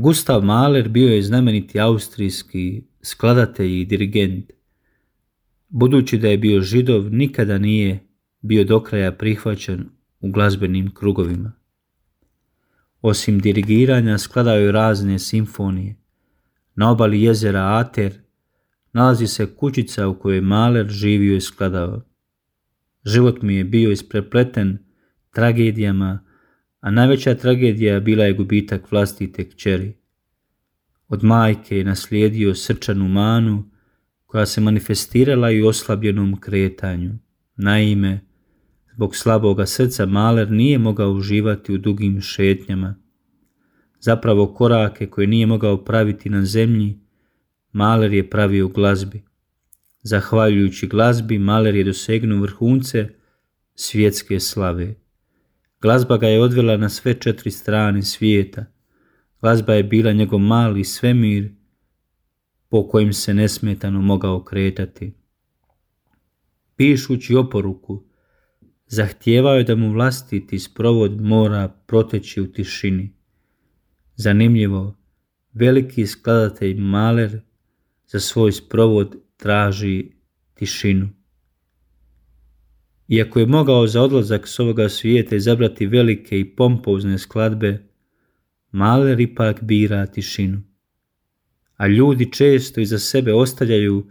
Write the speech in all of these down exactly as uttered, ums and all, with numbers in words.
Gustav Mahler bio je znameniti austrijski skladatelj i dirigent. Budući da je bio Židov, nikada nije bio do kraja prihvaćen u glazbenim krugovima. Osim dirigiranja, skladao je razne simfonije. Na obali jezera Ater nalazi se kućica u kojoj je Mahler živio i skladao. Život mi je bio isprepleten tragedijama, a najveća tragedija bila je gubitak vlastite kćeri. Od majke je naslijedio srčanu manu koja se manifestirala i u oslabljenom kretanju. Naime, zbog slaboga srca Mahler nije mogao uživati u dugim šetnjama. Zapravo korake koje nije mogao praviti na zemlji, Mahler je pravio u glazbi. Zahvaljujući glazbi, Mahler je dosegnuo vrhunce svjetske slave. Glazba ga je odvela na sve četiri strane svijeta. Glazba je bila njegov mali svemir po kojem se nesmetano mogao kretati. Pišući oporuku, zahtijevao je da mu vlastiti sprovod mora proteći u tišini. Zanimljivo, veliki skladatelj Mahler za svoj sprovod traži tišinu. Iako je mogao za odlazak s ovoga svijeta izabrati velike i pompozne skladbe, Mahler ipak bira tišinu. A ljudi često iza sebe ostavljaju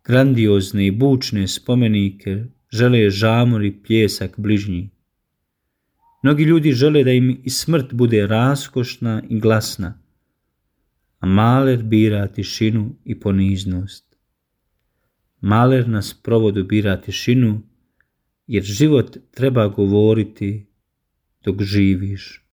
grandiozne i bučne spomenike, žele žamor i pljesak bližnji. Mnogi ljudi žele da im i smrt bude raskošna i glasna, a Mahler bira tišinu i poniznost. Mahler na sprovodu bira tišinu, jer život treba govoriti dok živiš.